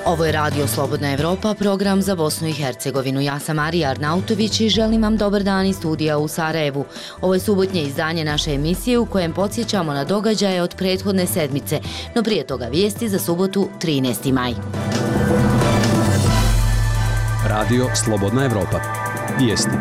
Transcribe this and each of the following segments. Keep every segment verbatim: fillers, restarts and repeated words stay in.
Ovo je Radio Slobodna Evropa, program za Bosnu i Hercegovinu. Ja sam Marija Arnautović i želim vam dobar dan iz studija u Sarajevu. Ovo je subotnje izdanje naše emisije u kojem podsjećamo na događaje od prethodne sedmice, no prije toga vijesti za subotu trinaesti maj. Radio Slobodna Evropa. Vijesti.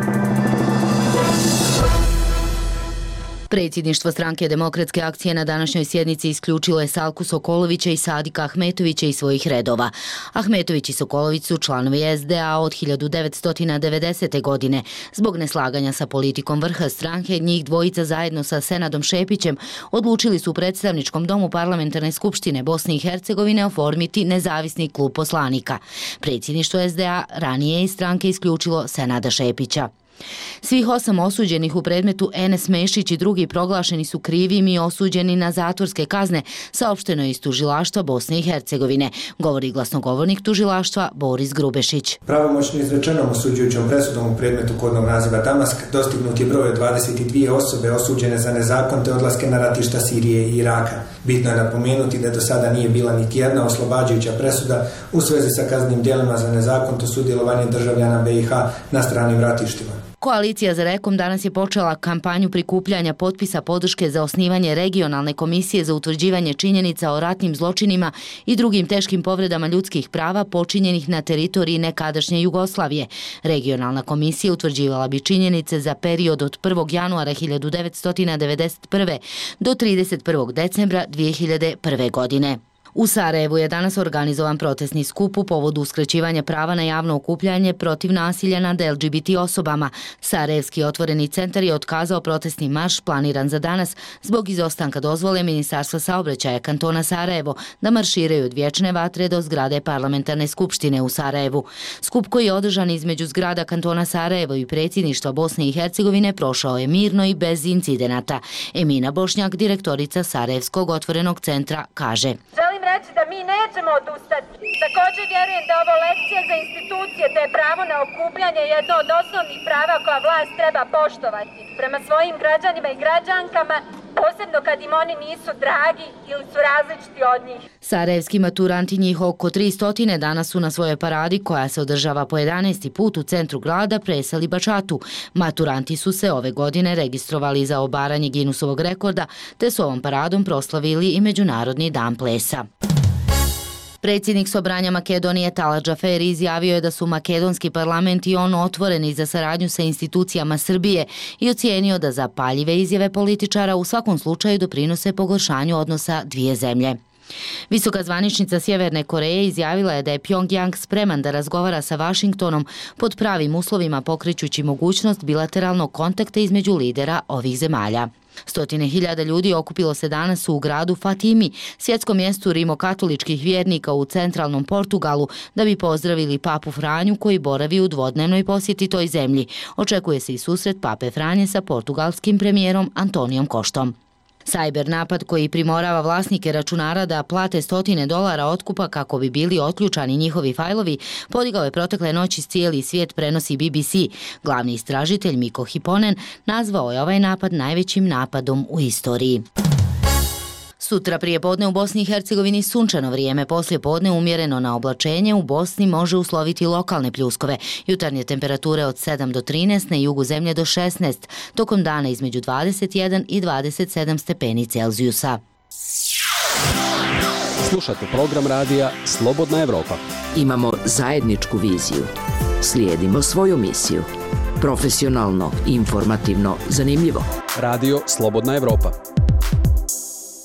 Predsjedništvo Stranke demokratske akcije na današnjoj sjednici isključilo je Salku Sokolovića i Sadika Ahmetovića iz svojih redova. Ahmetović i Sokolović su članovi es de a od hiljadu devetsto devedesete. godine. Zbog neslaganja sa politikom vrha stranke, njih dvojica zajedno sa Senadom Šepićem odlučili su u predstavničkom domu Parlamentarne skupštine Bosne i Hercegovine oformiti nezavisni klub poslanika. Predsjedništvo es de a ranije iz stranke isključilo Senada Šepića. Svih osam osuđenih u predmetu Enes Mešić i drugi proglašeni su krivim i osuđeni na zatvorske kazne, saopšteno je iz tužilaštva Bosne i Hercegovine, govori glasnogovornik tužilaštva Boris Grubešić. Pravomoćno izrečenom osuđujućom presudom u predmetu kodnog naziva Damask dostignut je broj od dvadeset dvije osobe osuđene za nezakonite odlaske na ratišta Sirije i Iraka. Bitno je napomenuti da do sada nije bila niti jedna oslobađajuća presuda u svezi sa kaznenim djelima za nezakonito sudjelovanje državljana be i ha na stranim ratištima. Koalicija za Rekom danas je počela kampanju prikupljanja potpisa podrške za osnivanje regionalne komisije za utvrđivanje činjenica o ratnim zločinima i drugim teškim povredama ljudskih prava počinjenih na teritoriji nekadašnje Jugoslavije. Regionalna komisija utvrđivala bi činjenice za period od prvog januara hiljadu devetsto devedeset prve. do trideset prvog decembra dvije hiljade prve. godine. U Sarajevu je danas organizovan protestni skup u povodu uskraćivanja prava na javno okupljanje protiv nasilja nad el ge be te osobama. Sarajevski otvoreni centar je otkazao protestni marš planiran za danas zbog izostanka dozvole Ministarstva saobraćaja kantona Sarajevo da marširaju od Vječne vatre do zgrade Parlamentarne skupštine u Sarajevu. Skup koji je održan između zgrada kantona Sarajevo i predsjedništva Bosne i Hercegovine prošao je mirno i bez incidenata. Emina Bošnjak, direktorica Sarajevskog otvorenog centra, kaže: Želim reći da mi nećemo odustati. Također vjerujem da ovo lekcija za institucije te je pravo na okupljanje jedno od osnovnih prava koja vlast treba poštovati prema svojim građanima i građankama, posebno kad im oni nisu dragi ili su različiti od njih. Sarajevski maturanti, njih oko tristo, danas su na svojoj paradi koja se održava po jedanaesti put u centru grada presali bačatu. Maturanti su se ove godine registrovali za obaranje Guinnessovog rekorda te su ovom paradom proslavili i Međunarodni dan plesa. Predsjednik Sobranja Makedonije Talat Džaferi izjavio je da su makedonski parlament i on otvoreni za saradnju sa institucijama Srbije i ocijenio da zapaljive izjave političara u svakom slučaju doprinose pogoršanju odnosa dvije zemlje. Visoka zvaničnica Sjeverne Koreje izjavila je da je Pjongjang spreman da razgovara sa Vašingtonom pod pravim uslovima pokrećući mogućnost bilateralnog kontakta između lidera ovih zemalja. Stotine hiljada ljudi okupilo se danas u gradu Fatimi, svjetskom mjestu rimokatoličkih vjernika u centralnom Portugalu, da bi pozdravili papu Franju koji boravi u dvodnevnoj posjeti toj zemlji. Očekuje se i susret pape Franje sa portugalskim premijerom Antonijom Koštom. Sajber napad koji primorava vlasnike računara da plate stotine dolara otkupa kako bi bili otključani njihovi fajlovi podigao je protekle noći cijeli svijet, prenosi be be ce. Glavni istražitelj Miko Hiponen nazvao je ovaj napad najvećim napadom u istoriji. Sutra prije podne u Bosni i Hercegovini sunčano vrijeme, poslije podne umjereno na oblačenje, u Bosni može usloviti lokalne pljuskove. Jutarnje temperature od sedam do trinaest, na jugu zemlje do šesnaest, tokom dana između dvadeset jedan i dvadeset sedam stepeni Celzijusa. Slušate program radija Slobodna Evropa. Imamo zajedničku viziju. Slijedimo svoju misiju. Profesionalno, informativno, zanimljivo. Radio Slobodna Evropa.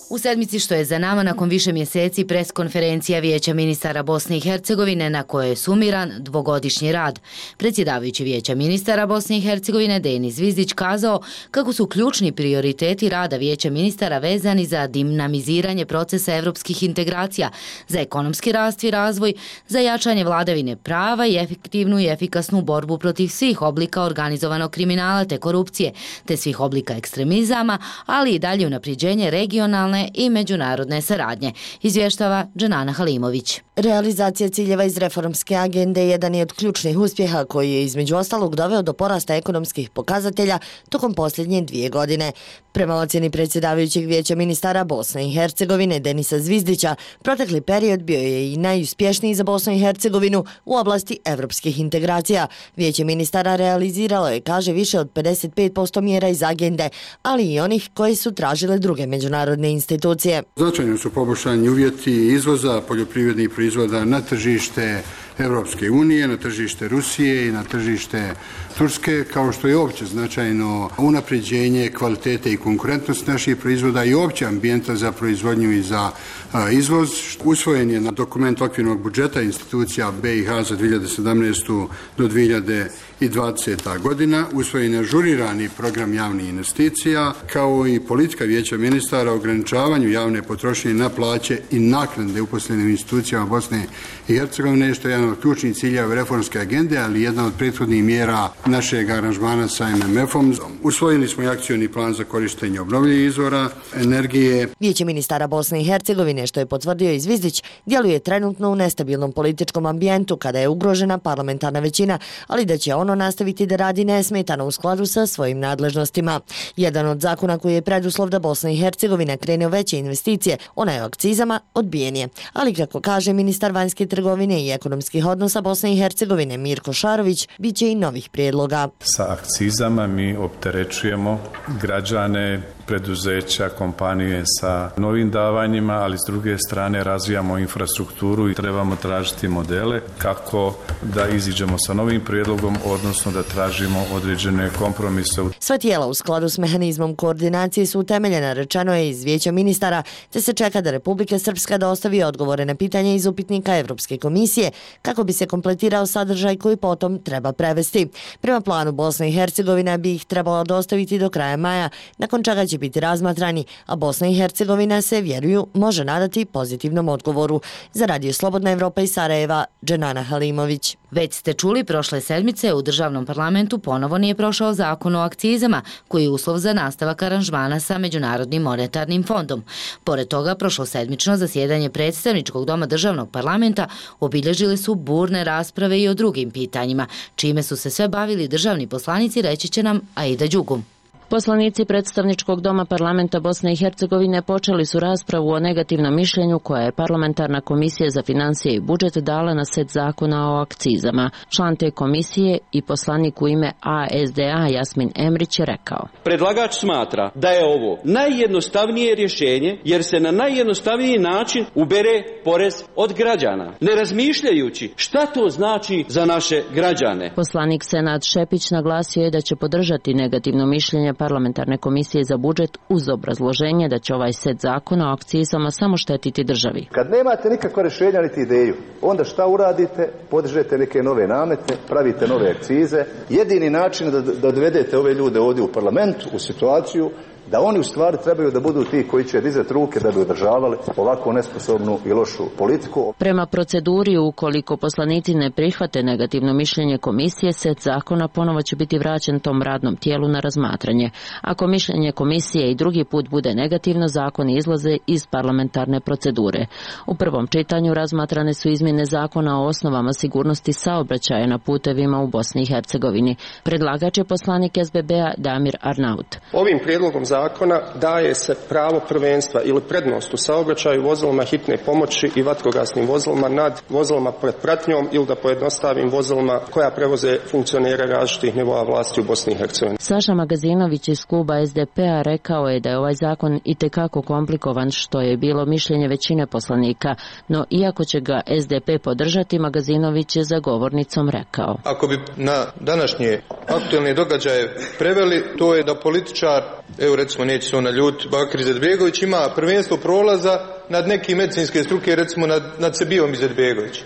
U sedmici što je za nama, nakon više mjeseci, preskonferencija Vijeća ministara Bosne i Hercegovine na kojoj je sumiran dvogodišnji rad. Predsjedavajući Vijeća ministara Bosne i Hercegovine Denis Zvizdić kazao kako su ključni prioriteti rada Vijeća ministara vezani za dinamiziranje procesa evropskih integracija, za ekonomski rast i razvoj, za jačanje vladavine prava i efektivnu i efikasnu borbu protiv svih oblika organizovanog kriminala te korupcije, te svih oblika ekstremizama, ali i dalje unapređenje regionalne regionalne i međunarodne saradnje, izvještava Dženana Halimović. Realizacija ciljeva iz reformske agende jedan je od ključnih uspjeha koji je između ostalog doveo do porasta ekonomskih pokazatelja tokom posljednje dvije godine. Prema ocjeni predsjedavajućeg vijeća ministara Bosne i Hercegovine Denisa Zvizdića, protekli period bio je i najuspješniji za Bosnu i Hercegovinu u oblasti evropskih integracija. Vijeće ministara realiziralo je, kaže, više od pedeset pet posto mjera iz agende, ali i onih koje su tražile druge međunarodne institucije. Značajno su poboljšani uvjeti izvoza poljoprivrednih proizvoda na tržište Europske unije, na tržište Rusije i na tržište Turske, kao što je opće značajno unapređenje kvalitete i konkurentnosti naših proizvoda i opće ambijenta za proizvodnju i za a, izvoz. Usvojen je na dokument okvirnog budžeta institucija B i H za dvije hiljade sedamnaestu do dvije hiljade dvadesete. godina. Usvojen je ažurirani program javnih investicija, kao i politika vijeća ministara o ograničavanju javne potrošnje na plaće i naknade uposlenim institucijama Bosne i Hercegovine, što je jedan od ključnih ciljeva reformske agende, ali jedna od prethodnih mjera našeg aranžmana sa M M F-om. Usvojili smo i akcioni plan za korištenje obnovljivih izvora energije. Vijeće ministara Bosne i Hercegovine, što je potvrdio i Zvizdić, djeluje trenutno u nestabilnom političkom ambijentu kada je ugrožena parlamentarna većina, ali da će ono nastaviti da radi nesmetano u skladu sa svojim nadležnostima. Jedan od zakona koji je preduslov da Bosna i Hercegovina krene u veće investicije, ona je o akcizama, odbijen je. Ali kako kaže ministar vanjske trgovine i ekonomskih odnosa Bosne i Hercegovine Mirko Šarović, bit će i novih prijedloga. Sa akcizama mi opterećujemo građane, preduzeća, kompanije sa novim davanjima, ali s druge strane razvijamo infrastrukturu i trebamo tražiti modele kako da iziđemo sa novim prijedlogom, odnosno da tražimo određene kompromise. Sva tijela u skladu s mehanizmom koordinacije su utemeljena, rečeno je iz vijeća ministara, te se čeka da Republika Srpska dostavi odgovore na pitanje iz upitnika Evropske komisije kako bi se kompletirao sadržaj koji potom treba prevesti. Prema planu Bosna i Hercegovina bi ih trebala dostaviti do kraja maja, nakon čega će biti razmatrani, a Bosna i Hercegovina se, vjeruju, može nadati pozitivnom odgovoru. Za Radio Slobodna Evropa iz Sarajeva, Dženana Halimović. Već ste čuli, prošle sedmice u državnom parlamentu ponovo nije prošao zakon o akcizama, koji je uslov za nastavak aranžmana sa Međunarodnim monetarnim fondom. Pored toga, prošlosedmično zasjedanje predstavničkog doma državnog parlamenta obilježile su burne rasprave i o drugim pitanjima, čime su se sve bavili državni poslanici, reći će nam Aida Đugum. Poslanici predstavničkog doma parlamenta Bosne i Hercegovine počeli su raspravu o negativnom mišljenju koja je parlamentarna komisija za financije i budžet dala na set zakona o akcizama. Član te komisije i poslanik u ime A S D A Jasmin Emrić je rekao: Predlagač smatra da je ovo najjednostavnije rješenje jer se na najjednostavniji način ubere porez od građana, ne razmišljajući šta to znači za naše građane. Poslanik Senad Šepić naglasio je da će podržati negativno mišljenje parlamentarne komisije za budžet uz obrazloženje da će ovaj set zakona o akcizama samo štetiti državi. Kad nemate nikakva rješenja niti ideju, onda šta uradite? Podižete neke nove namete, pravite nove akcize. Jedini način da, da dovedete ove ljude ovdje u parlamentu u situaciju da oni u stvari trebaju da budu ti koji će dizati ruke da bi održavali ovako nesposobnu i lošu politiku. Prema proceduri, ukoliko poslanici ne prihvate negativno mišljenje komisije, set zakona ponovo će biti vraćen tom radnom tijelu na razmatranje. Ako mišljenje komisije i drugi put bude negativno, zakoni izlaze iz parlamentarne procedure. U prvom čitanju razmatrane su izmjene zakona o osnovama sigurnosti saobraćaja na putevima u Bosni i Hercegovini. Predlagač je poslanik S B B-a Damir Arnaut. Ovim prijedlogom zakona daje se pravo prvenstva ili prednost u saobraćaju vozilima hitne pomoći i vatrogasnim vozilima nad vozilima pred pratnjom ili da pojednostavim vozilima koja prevoze funkcionere različitih nivoa vlasti u Bosni i Hercegovini. Saša Magazinović iz kluba S D P-a rekao je da je ovaj zakon itekako komplikovan, što je bilo mišljenje većine poslanika, no iako će ga S D P podržati, Magazinović je za govornicom rekao: Ako bi na današnje aktualne događaje preveli, to je da političar, evo recimo neće se ona ljut, Bakir Izetbegović ima prvenstvo prolaza nad neke medicinske struke, recimo nad, nad Sebijom Izetbegović.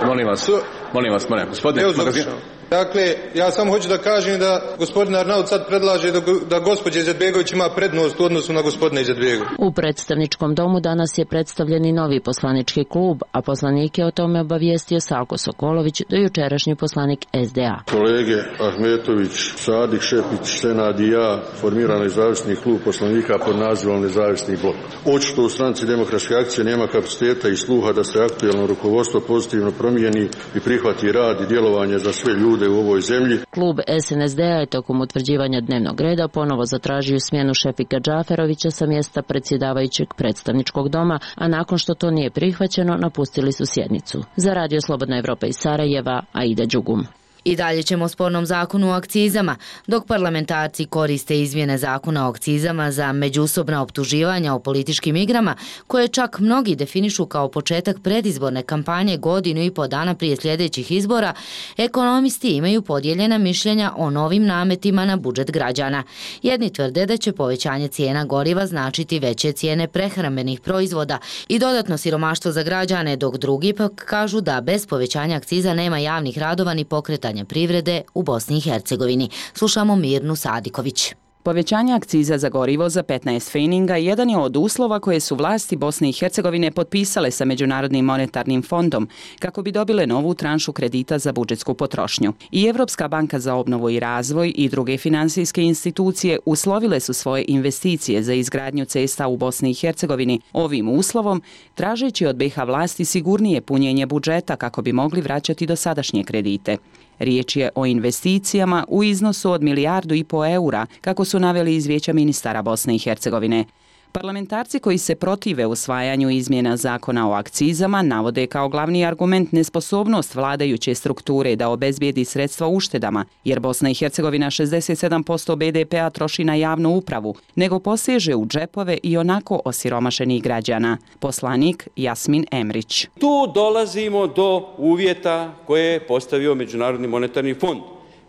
Molim vas, molim vas, molim vas, gospodine, magazin, Dakle, ja samo hoću da kažem da gospodin Arnaut sad predlaže da, da gospođa Izetbegović ima prednost u odnosu na gospodina Izetbegovića. U predstavničkom domu danas je predstavljen i novi poslanički klub, a poslanike o tome obavijestio Salko Sokolović, dojučerašnji poslanik S D A. Kolege Ahmetović, Sadik, Šepić, Senad i ja formirano nezavisni klub poslanika pod nazivom Nezavisni blok. Očito u stranci Demokratske akcije nema kapaciteta i sluha da se aktuelno rukovodstvo pozitivno promijeni i prihvati rad i djelovanje za sve ljude u ovoj zemlji. Klub S N S D A je tokom utvrđivanja dnevnog reda ponovo zatražio smjenu Šefika Džaferovića sa mjesta predsjedavajućeg predstavničkog doma, a nakon što to nije prihvaćeno, napustili su sjednicu. Za Radio Slobodna Evropa iz Sarajeva, Aida Đugum. I dalje ćemo o spornom zakonu o akcizama. Dok parlamentarci koriste izmjene zakona o akcizama za međusobna optuživanja o političkim igrama, koje čak mnogi definišu kao početak predizborne kampanje godinu i po dana prije sljedećih izbora, ekonomisti imaju podijeljena mišljenja o novim nametima na budžet građana. Jedni tvrde da će povećanje cijena goriva značiti veće cijene prehrambenih proizvoda i dodatno siromaštvo za građane, dok drugi pak kažu da bez povećanja akciza nema javnih radova ni pokretanja privrede u Bosni i Hercegovini. Slušamo Mirnu Sadiković. Povećanje akciza za gorivo za petnaest pfeninga jedan je od uslova koje su vlasti Bosne i Hercegovine potpisale sa Međunarodnim monetarnim fondom kako bi dobile novu tranšu kredita za budžetsku potrošnju. I Evropska banka za obnovu i razvoj i druge finansijske institucije uslovile su svoje investicije za izgradnju cesta u Bosni i Hercegovini ovim uslovom, tražeći od B iH vlasti sigurnije punjenje budžeta kako bi mogli vraćati dosadašnje kredite. Riječ je o investicijama u iznosu od milijardu i po eura, kako su naveli iz Vijeća ministara Bosne i Hercegovine. Parlamentarci koji se protive usvajanju izmjena zakona o akcizama navode kao glavni argument nesposobnost vladajuće strukture da obezbijedi sredstva uštedama, jer Bosna i Hercegovina šezdeset sedam posto B D P-a troši na javnu upravu, nego poseže u džepove i onako osiromašenih građana. Poslanik Jasmin Emrić. Tu dolazimo do uvjeta koje je postavio Međunarodni monetarni fond.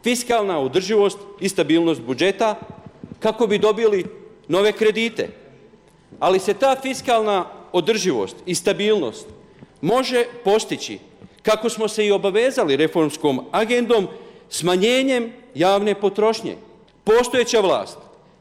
Fiskalna održivost i stabilnost budžeta kako bi dobili nove kredite. Ali se ta fiskalna održivost i stabilnost može postići, kako smo se i obavezali reformskom agendom, smanjenjem javne potrošnje. Postojeća vlast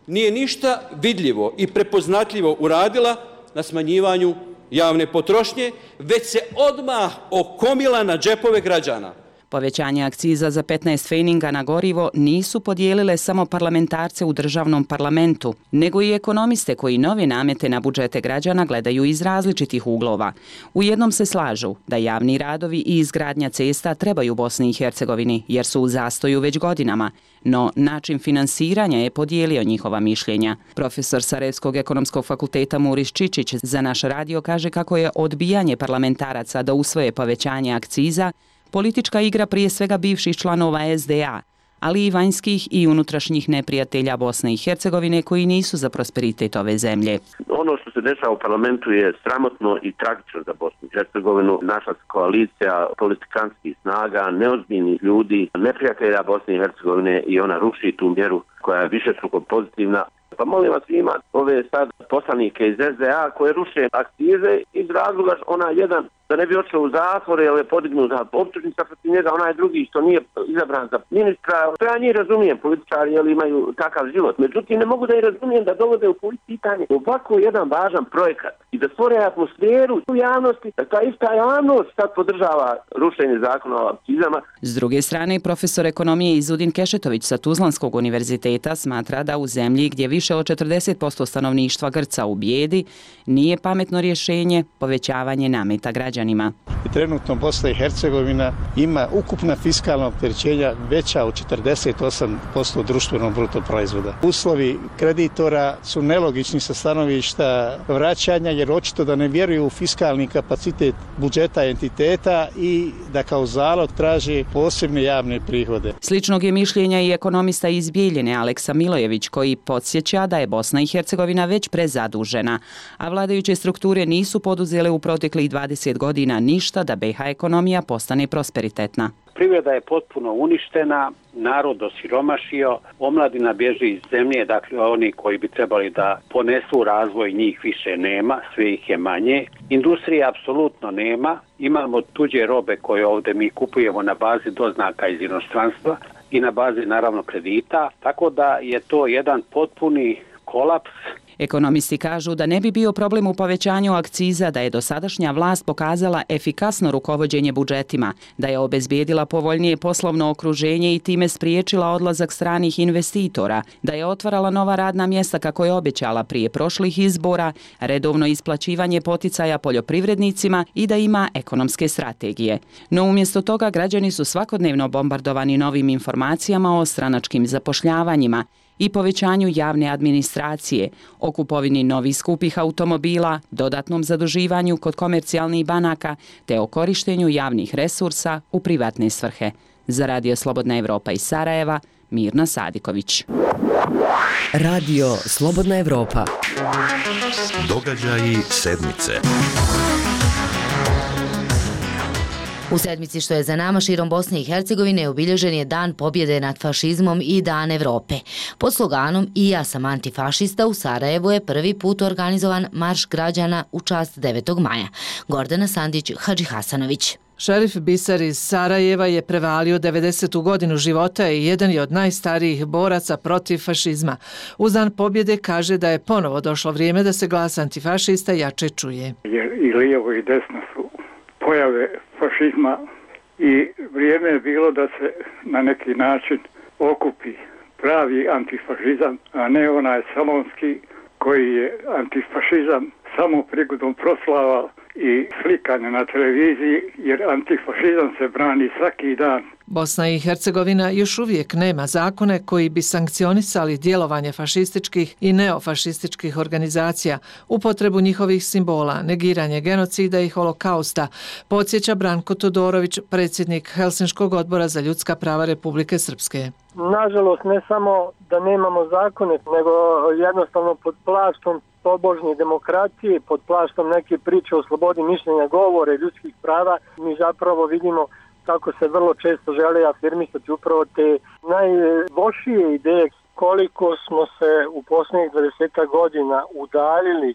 nije ništa vidljivo i prepoznatljivo uradila na smanjivanju javne potrošnje, već se odmah okomila na džepove građana. Povećanje akciza za petnaest pfeninga na gorivo nisu podijelile samo parlamentarce u državnom parlamentu, nego i ekonomiste koji nove namete na budžete građana gledaju iz različitih uglova. U jednom se slažu da javni radovi i izgradnja cesta trebaju Bosni i Hercegovini jer su u zastoju već godinama, no način finansiranja je podijelio njihova mišljenja. Profesor Sarajevskog ekonomskog fakulteta Muris Čičić za naš radio kaže kako je odbijanje parlamentaraca da usvoje povećanje akciza politička igra prije svega bivših članova S D A, ali i vanjskih i unutrašnjih neprijatelja Bosne i Hercegovine koji nisu za prosperitet ove zemlje. Ono što se dešava u parlamentu je sramotno i tragično za Bosnu i Hercegovinu. Naša koalicija politikanskih snaga, neozbiljnih ljudi, neprijatelja Bosne i Hercegovine i ona ruši tu mjeru koja je višestruko pozitivna. Pa molim vas, ima ove sad poslanike iz S D A koje ruše akcize iz razloga ona jedan da ne bi odšao u zatvor jer je podignuta optužnica protiv njega, onaj drugi što nije izabran za ministra. To ja njih razumijem, političari jer imaju takav život. Međutim, ne mogu da i razumijem da dovode u pitanje ovako jedan važan projekat i da stvore atmosferu u javnosti, da ta ista javnost sad podržava rušenje zakona o akcizama. S druge strane, profesor ekonomije Izudin Kešetović sa Tuzlanskog univerziteta smatra da u zemlji gdje više od četrdeset posto stanovništva grca u bijedi nije pametno rješenje povećavanje nameta građana. I trenutno Bosna i Hercegovina ima ukupna fiskalna opterećenja veća od četrdeset osam posto društvenog bruto proizvoda. Uslovi kreditora su nelogični sa stanovišta vraćanja jer očito da ne vjeruju u fiskalni kapacitet budžeta entiteta i da kao zalog traže posebne javne prihode. Sličnog je mišljenja i ekonomista iz Bijeljine Aleksa Milojević koji podsjeća da je Bosna i Hercegovina već prezadužena, a vladajuće strukture nisu poduzele u proteklih dvadeset godina ništa da B iH ekonomija postane prosperitetna. Privreda je potpuno uništena, narod osiromašio, omladina bježi iz zemlje, dakle oni koji bi trebali da ponesu razvoj njih više nema, sve ih je manje. Industrije apsolutno nema, imamo tuđe robe koje ovdje mi kupujemo na bazi doznaka iz inostranstva i na bazi naravno kredita, tako da je to jedan potpuni kolaps. Ekonomisti kažu da ne bi bio problem u povećanju akciza da je dosadašnja vlast pokazala efikasno rukovođenje budžetima, da je obezbijedila povoljnije poslovno okruženje i time spriječila odlazak stranih investitora, da je otvarala nova radna mjesta kako je obećala prije prošlih izbora, redovno isplaćivanje poticaja poljoprivrednicima i da ima ekonomske strategije. No umjesto toga građani su svakodnevno bombardovani novim informacijama o stranačkim zapošljavanjima i povećanju javne administracije, o kupovini novih skupih automobila, dodatnom zaduživanju kod komercijalnih banaka te o korištenju javnih resursa u privatne svrhe. Za Radio Slobodna Evropa iz Sarajeva, Mirna Sadiković. Radio Slobodna Evropa. Događaji sedmice. U sedmici što je za nama širom Bosne i Hercegovine obilježen je Dan pobjede nad fašizmom i Dan Evrope. Pod sloganom I ja sam antifašista u Sarajevu je prvi put organizovan marš građana u čast devetog maja. Gordana Sandić, Hadži Hasanović. Šerif Bisar iz Sarajeva je prevalio devedesetu godinu života i jedan je od najstarijih boraca protiv fašizma. Uz Dan pobjede kaže da je ponovo došlo vrijeme da se glas antifašista jače čuje. Jer i lijevo i desno su pojave fašizma i vrijeme je bilo da se na neki način okupi pravi antifašizam, a ne onaj salonski koji je antifašizam samo prigodom proslava i slikanja na televiziji, jer antifašizam se brani svaki dan. Bosna i Hercegovina još uvijek nema zakone koji bi sankcionisali djelovanje fašističkih i neofašističkih organizacija, upotrebu njihovih simbola, negiranje genocida i holokausta, podsjeća Branko Todorović, predsjednik Helsinškog odbora za ljudska prava Republike Srpske. Nažalost, ne samo da nemamo zakone, nego jednostavno pod plaštom tobožnje demokracije, pod plaštom neke priče o slobodi mišljenja, govore, ljudskih prava, mi zapravo vidimo kako se vrlo često žele afirmisati upravo te najlošije ideje. Koliko smo se u posljednjih dvadeset godina udaljili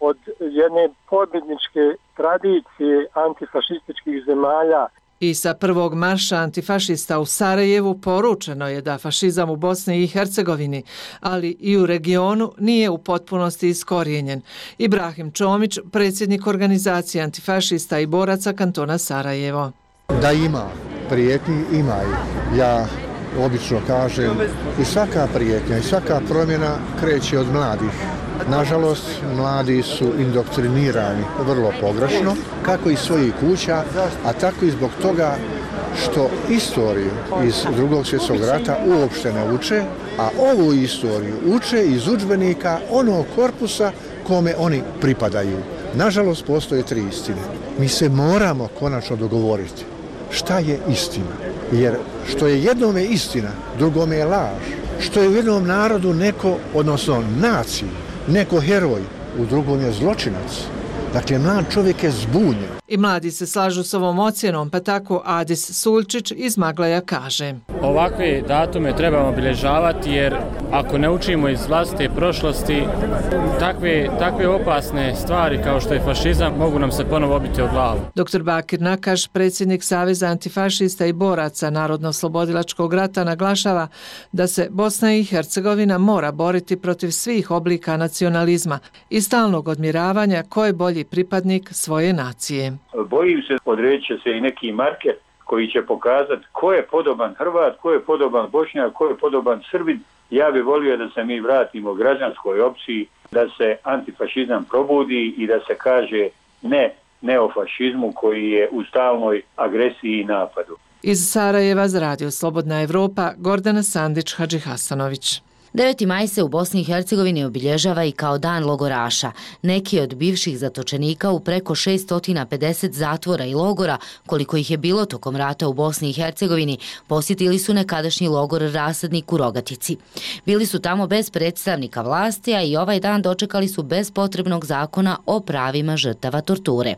od jedne pobjedničke tradicije antifašističkih zemalja. I sa prvog marša antifašista u Sarajevu poručeno je da fašizam u Bosni i Hercegovini, ali i u regionu, nije u potpunosti iskorijenjen. Ibrahim Čomić, predsjednik organizacije antifašista i boraca kantona Sarajevo. Da ima prijetnji, ima i. Ja obično kažem i svaka prijetnja i svaka promjena kreće od mladih. Nažalost, mladi su indoktrinirani vrlo pogrešno, kako iz svojih kuća, a tako i zbog toga što istoriju iz drugog svjetskog rata uopšte ne uče, a ovu istoriju uče iz udžbenika onog korpusa kome oni pripadaju. Nažalost, postoje tri istine. Mi se moramo konačno dogovoriti šta je istina. Jer što je jednome istina, drugome je laž. Što je u jednom narodu neko, odnosno naciji, neko heroj, u drugom je zločinac. Dakle, mlad čovjek je zbunjen. I mladi se slažu s ovom ocjenom, pa tako Adis Sulčić iz Maglaja kaže. Ovakve datume trebamo obilježavati jer ako ne učimo iz vlastite prošlosti, takve, takve opasne stvari kao što je fašizam mogu nam se ponovo obiti o glavu. doktor Bakir Nakaš, predsjednik Saveza antifašista i boraca Narodno-oslobodilačkog rata, naglašava da se Bosna i Hercegovina mora boriti protiv svih oblika nacionalizma i stalnog odmjeravanja ko je bolji pripadnik svoje nacije. Bojim se, odredit će se i neki marker koji će pokazati ko je podoban Hrvat, ko je podoban Bošnjak, ko je podoban Srbin. Ja bih volio da se mi vratimo građanskoj opciji, da se antifašizam probudi i da se kaže ne neofašizmu koji je u stalnoj agresiji i napadu. Iz Sarajeva za Radio Slobodna Evropa, Gordana Sandić, Hadži Hasanović. deveti maj se u Bosni i Hercegovini obilježava i kao dan logoraša. Neki od bivših zatočenika u preko šesto pedeset zatvora i logora, koliko ih je bilo tokom rata u Bosni i Hercegovini, posjetili su nekadašnji logor Rasadnik u Rogatici. Bili su tamo bez predstavnika vlasti, a i ovaj dan dočekali su bez potrebnog zakona o pravima žrtava torture.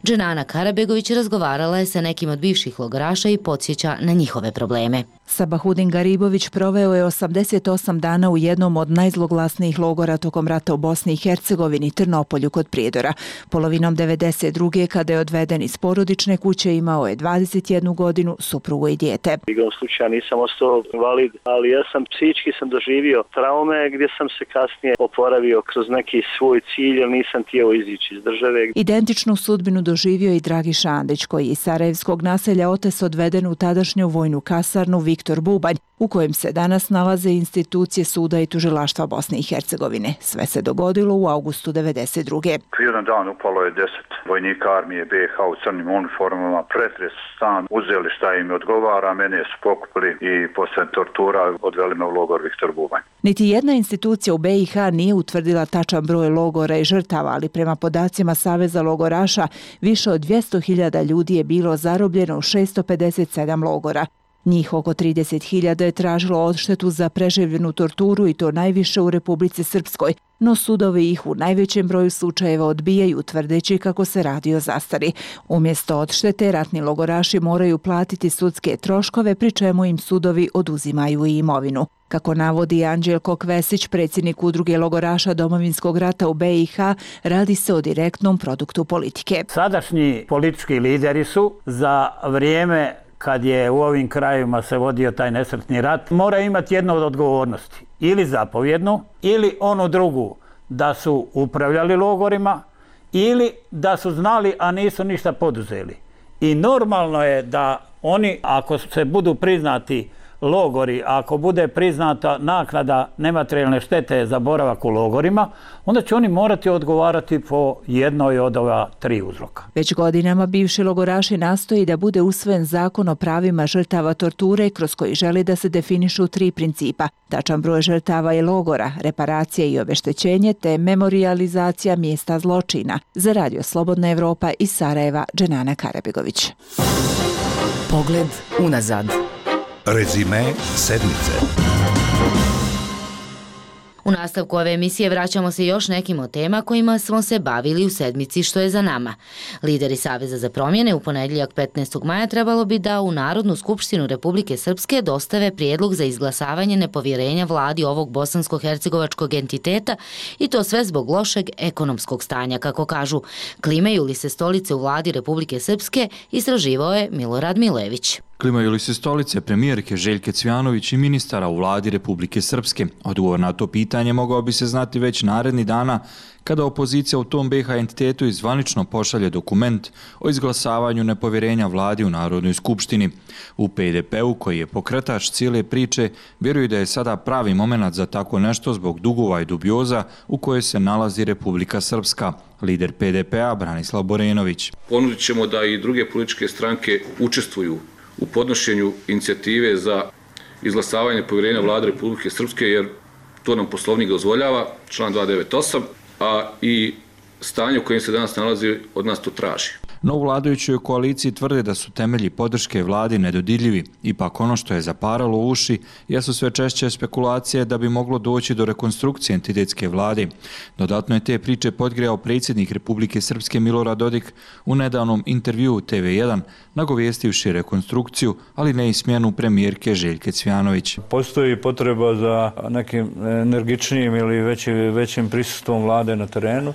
Dženana Karabegović razgovarala je sa nekim od bivših logoraša i podsjeća na njihove probleme. Sabahudin Garibović proveo je osamdeset osam dana u jednom od najzloglasnijih logora tokom rata u Bosni i Hercegovini, Trnopolju kod Prijedora. Polovinom devedeset druge kada je odveden iz porodične kuće, imao je dvadeset jednu godinu, suprugu i dijete. Igrom slučaja nisam ostao invalid, ali ja sam psihički sam doživio traume gdje sam se kasnije oporavio kroz neki svoj cilj, jer nisam htio izići iz države. Identičnu sudbinu doživio i Dragi Šandić, koji je iz sarajevskog naselja Otes odveden u tadašnju vojnu kasarnu Viktor Bubanj, u kojem se danas nalaze institucije suda i tužilaštva Bosne i Hercegovine. Sve se dogodilo u avgustu devedeset druge. Jedan dan upalo je deset vojnika armije be ha u crnim uniformama, pretres stan, uzeli šta im odgovara, mene su pokupili i posle tortura odveli me u logor Viktor Bubanj. Niti jedna institucija u be i ha nije utvrdila tačan broj logora i žrtava, ali prema podacima Saveza logoraša više od dvjesto hiljada ljudi je bilo zarobljeno u šesto pedeset sedam logora. Njih oko trideset hiljada je tražilo odštetu za preživljenu torturu i to najviše u Republici Srpskoj, no sudovi ih u najvećem broju slučajeva odbijaju tvrdeći kako se radi o zastari. Umjesto odštete, ratni logoraši moraju platiti sudske troškove, pri čemu im sudovi oduzimaju i imovinu. Kako navodi Anđelko Kvesić, predsjednik udruge logoraša Domovinskog rata u be i ha, radi se o direktnom produktu politike. Sadašnji politički lideri su za vrijeme kad je u ovim krajevima se vodio taj nesretni rat, mora imati jednu od odgovornosti. Ili zapovjednu, ili onu drugu, da su upravljali logorima, ili da su znali, a nisu ništa poduzeli. I normalno je da oni, ako se budu priznati logori, ako bude priznata naknada nematerijalne štete za boravak u logorima, onda će oni morati odgovarati po jednoj od ova tri uzroka. Već godinama bivši logoraši nastoji da bude usvojen zakon o pravima žrtava torture, kroz koji želi da se definišu tri principa: tačan broj žrtava i logora, reparacija i obeštećenje, te memorijalizacija mjesta zločina. Za Radio Slobodna Evropa iz Sarajeva, Dženana Karabegović. Pogled unazad. Rezime sedmice. U nastavku ove emisije vraćamo se još nekim od tema kojima smo se bavili u sedmici što je za nama. Lideri Saveza za promjene u ponedjeljak petnaestog maja trebalo bi da u Narodnu skupštinu Republike Srpske dostave prijedlog za izglasavanje nepovjerenja vladi ovog bosansko-hercegovačkog entiteta, i to sve zbog lošeg ekonomskog stanja, kako kažu. Klimaju li se stolice u vladi Republike Srpske, istraživao je Milorad Milojević. Klimaju li se stolice premijerke Željke Cvjanović i ministara u vladi Republike Srpske? Odgovor na to pitanje mogao bi se znati već naredni dana, kada opozicija u tom be ha entitetu izvanično pošalje dokument o izglasavanju nepovjerenja vladi u Narodnoj skupštini. U pe de pe u, koji je pokretač cijele priče, vjeruju da je sada pravi moment za tako nešto zbog dugova i dubioza u kojoj se nalazi Republika Srpska. Lider pe de pe a Branislav Borenović. Ponudit ćemo da i druge političke stranke učestvuju u podnošenju inicijative za izglasavanje povjerenja vlade Republike Srpske, jer to nam Poslovnik dozvoljava, član dvjesto devedeset osam, a i stanje u kojem se danas nalazi od nas to traži. No u vladajućoj koaliciji tvrde da su temelji podrške vladi nedodirljivi. Ipak ono što je zaparalo uši jesu sve češće spekulacije da bi moglo doći do rekonstrukcije entitetske vlade. Dodatno je te priče podgrejao predsjednik Republike Srpske Milorad Dodik u nedavnom intervjuu te ve jedan, nagovjestivši rekonstrukciju, ali ne i smjenu premijerke Željke Cvjanović. Postoji potreba za nekim energičnijim ili većim, većim prisustvom vlade na terenu.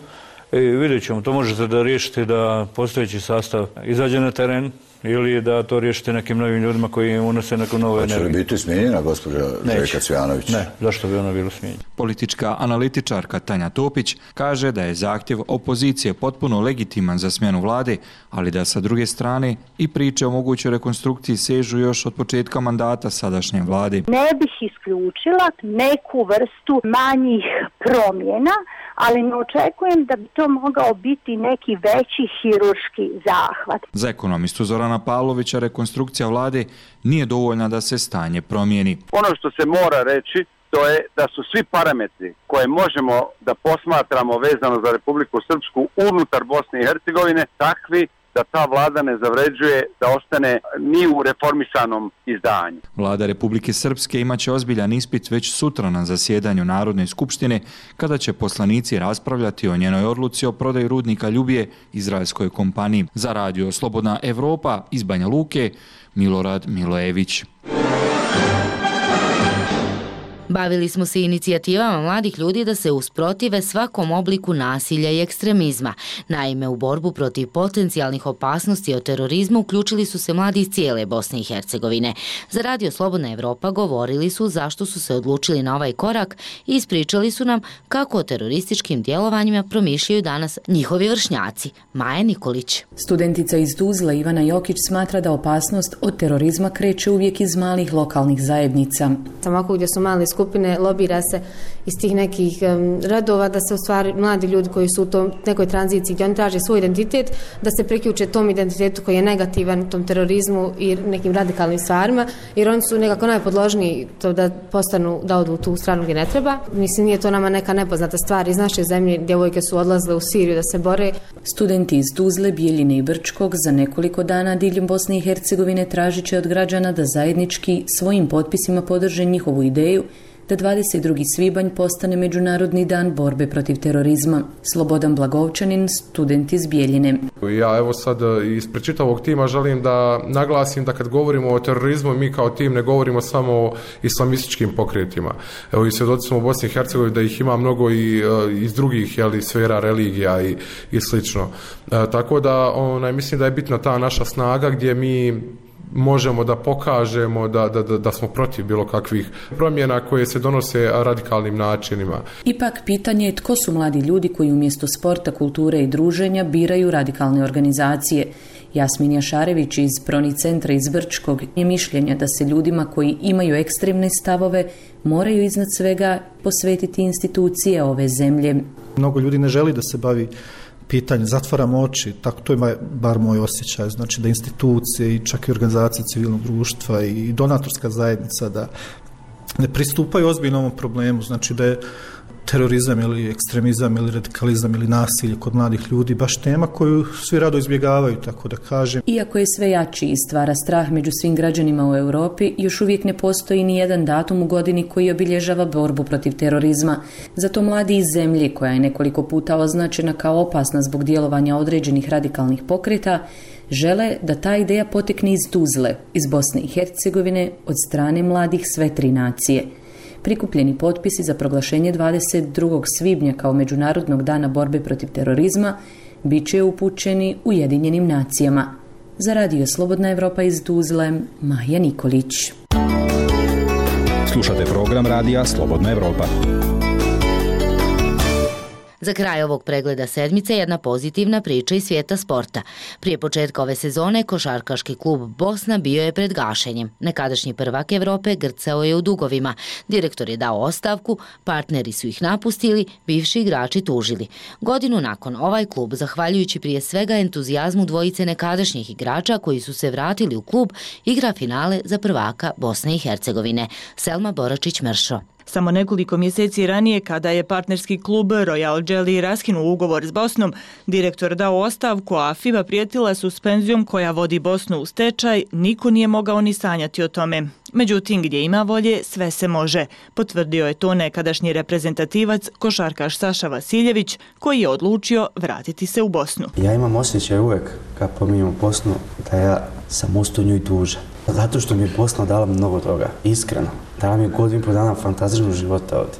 I vidjet ćemo, to možete da riješite da postojeći sastav izađe na teren ili da to riješite nekim novim ljudima koji unose neku novu energiju. Hoće li biti smijenjena gospođa Željka Cvjanović? Ne, zašto bi ona bila smijenjena? Politička analitičarka Tanja Topić kaže da je zahtjev opozicije potpuno legitiman za smjenu vlade, ali da sa druge strane i priče o mogućoj rekonstrukciji sežu još od početka mandata sadašnje vlade. Ne bih isključila neku vrstu manjih promjena, ali ne očekujem da bi to mogao biti neki veći hirurški zahvat. Za ekonomistu Zorana Pavlovića rekonstrukcija vlade nije dovoljna da se stanje promijeni. Ono što se mora reći, očito je da su svi parametri koje možemo da posmatramo vezano za Republiku Srpsku unutar Bosne i Hercegovine takvi da ta vlada ne zavređuje da ostane ni u reformisanom izdanju. Vlada Republike Srpske imaće ozbiljan ispit već sutra na zasjedanju Narodne skupštine, kada će poslanici raspravljati o njenoj odluci o prodaji rudnika Ljubije izraelskoj kompaniji. Za radio Slobodna Evropa iz Banja Luke, Milorad Milojević. Bavili smo se inicijativama mladih ljudi da se usprotive svakom obliku nasilja i ekstremizma. Naime, u borbu protiv potencijalnih opasnosti od terorizma uključili su se mladi iz cijele Bosne i Hercegovine. Za radio Slobodna Evropa govorili su zašto su se odlučili na ovaj korak i ispričali su nam kako o terorističkim djelovanjima promišljaju danas njihovi vršnjaci. Maja Nikolić. Studentica iz Tuzle Ivana Jokić smatra da opasnost od terorizma kreće uvijek iz malih lokalnih zajednica. Samo gdje su mali skupine, lobira se iz tih nekih um, radova da se u stvari mladi ljudi koji su u tom nekoj tranziciji gdje oni traže svoj identitet, da se priključe tom identitetu koji je negativan, tom terorizmu i nekim radikalnim stvarima, jer oni su nekako najpodložniji to da postanu, da odu u tu stranu gdje ne treba. Mislim, nije to nama neka nepoznata stvar. Iz naše zemlje djevojke su odlazile u Siriju da se bore. Studenti iz Tuzle, Bijeljine i Brčkog za nekoliko dana diljem Bosne i Hercegovine tražit će od građana da zajednički svojim potpisima podrže njihovu ideju da dvadeset drugi svibanj postane Međunarodni dan borbe protiv terorizma. Slobodan Blagovčanin, student iz Bijeljine. Ja evo sad ispred čitavog tima želim da naglasim da kad govorimo o terorizmu, mi kao tim ne govorimo samo o islamističkim pokretima. Evo i svjedoci smo u Bosni i Hercegovini da ih ima mnogo i iz drugih jeli, sfera religija i, i slično. E, tako da onaj, mislim da je bitna ta naša snaga gdje mi možemo da pokažemo da, da, da smo protiv bilo kakvih promjena koje se donose radikalnim načinima. Ipak pitanje je tko su mladi ljudi koji umjesto sporta, kulture i druženja biraju radikalne organizacije. Jasmin Jašarević iz Proni centra iz Brčkog je mišljenja da se ljudima koji imaju ekstremne stavove moraju iznad svega posvetiti institucije ove zemlje. Mnogo ljudi ne želi da se bavi pitanje, zatvaramo oči, tako to je bar moj osjećaj, znači da institucije i čak i organizacije civilnog društva i donatorska zajednica da ne pristupaju ozbiljnom ovom problemu, znači da je terorizam ili ekstremizam ili radikalizam ili nasilje kod mladih ljudi baš tema koju svi rado izbjegavaju, tako da kažem. Iako je sve jači i stvara strah među svim građanima u Europi, još uvijek ne postoji ni jedan datum u godini koji obilježava borbu protiv terorizma. Zato mladi iz zemlje, koja je nekoliko puta označena kao opasna zbog djelovanja određenih radikalnih pokreta, žele da ta ideja potekne iz Tuzle, iz Bosne i Hercegovine, od strane mladih sve tri nacije. Prikupljeni potpisi za proglašenje dvadeset drugog svibnja kao Međunarodnog dana borbe protiv terorizma bit će upućeni Ujedinjenim nacijama. Za radio Slobodna Evropa iz Tuzle, Maja Nikolić. Slušate program radija Slobodna Evropa. Za kraj ovog pregleda sedmice jedna pozitivna priča iz svijeta sporta. Prije početka ove sezone košarkaški klub Bosna bio je pred gašenjem. Nekadašnji prvak Evrope grcao je u dugovima. Direktor je dao ostavku, partneri su ih napustili, bivši igrači tužili. Godinu nakon ovaj klub, zahvaljujući prije svega entuzijazmu dvojice nekadašnjih igrača koji su se vratili u klub, igra finale za prvaka Bosne i Hercegovine. Selma Boračić-Mršo. Samo nekoliko mjeseci ranije, kada je partnerski klub Royal Jelly raskinuo ugovor s Bosnom, direktor dao ostavku, a FIBA prijetila suspenzijom koja vodi Bosnu u stečaj, niko nije mogao ni sanjati o tome. Međutim, gdje ima volje, sve se može. Potvrdio je to nekadašnji reprezentativac, košarkaš Saša Vasiljević, koji je odlučio vratiti se u Bosnu. Ja imam osjećaj uvek, kad pominjamo Bosnu, da ja sam ostao nju i tužan. Zato što mi je Bosna dala mnogo toga, iskreno. Dala mi je godinu po dana fantastičnog života ovdje.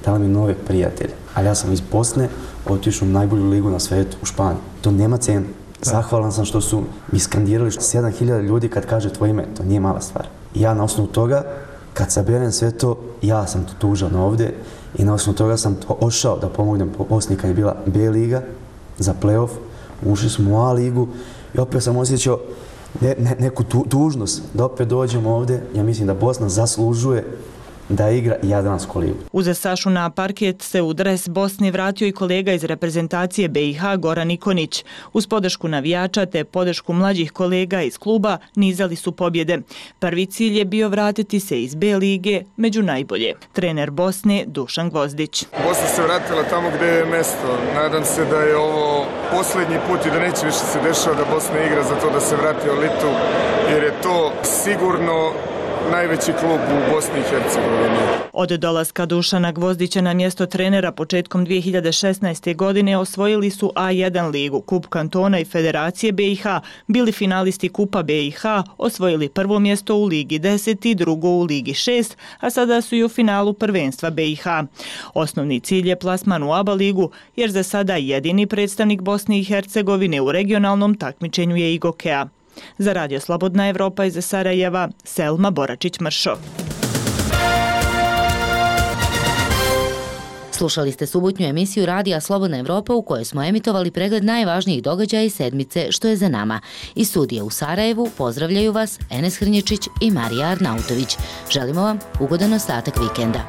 Dala mi nove prijatelje. Ali ja sam iz Bosne otišao u najbolju ligu na svijetu, u Španiju. To nema cenu. Zahvalan sam što su mi skandirali sedam hiljada ljudi kad kaže tvoje ime. To nije mala stvar. I ja na osnovu toga, kad saberem sve to, ja sam to tužan ovdje i na osnovu toga sam ošao da pomognem po Bosni kad je bila B liga za play-off. Ušli smo u A ligu i opet sam osjećao Ne, ne, neku tu, tužnost da opet dođemo ovdje. Ja mislim da Bosna zaslužuje da igra Jadransku ligu. Uza Sašu na parket se u dres Bosne vratio i kolega iz reprezentacije B i H Goran Ikonić. Uz podršku navijača te podršku mlađih kolega iz kluba nizali su pobjede. Prvi cilj je bio vratiti se iz B lige među najbolje. Trener Bosne Dušan Gvozdić. Bosna se vratila tamo gdje je mesto. Nadam se da je ovo posljednji put i da neće više se dešava da Bosna igra za to da se vrati u elitu, jer je to sigurno najveći klub u Bosni i Hercegovini. Od dolaska Dušana Gvozdića na mjesto trenera početkom dvije hiljade šesnaeste. godine osvojili su A jedan ligu, Kup kantona i Federacije B i H, bili finalisti Kupa B i H, osvojili prvo mjesto u Ligi deset i drugo u Ligi šest, a sada su i u finalu prvenstva B i H. Osnovni cilj je plasman u A B A ligu, jer za sada jedini predstavnik Bosne i Hercegovine u regionalnom takmičenju je Igokea. Za Radio Slobodna Evropa iz Sarajeva, Selma Boračić-Mršo. Slušali ste subotnju emisiju Radija Slobodna Evropa u kojoj smo emitovali pregled najvažnijih događaja iz sedmice što je za nama. Iz studija u Sarajevu pozdravljaju vas Enes Hrnječić i Marija Arnautović. Želimo vam ugodan ostatak vikenda.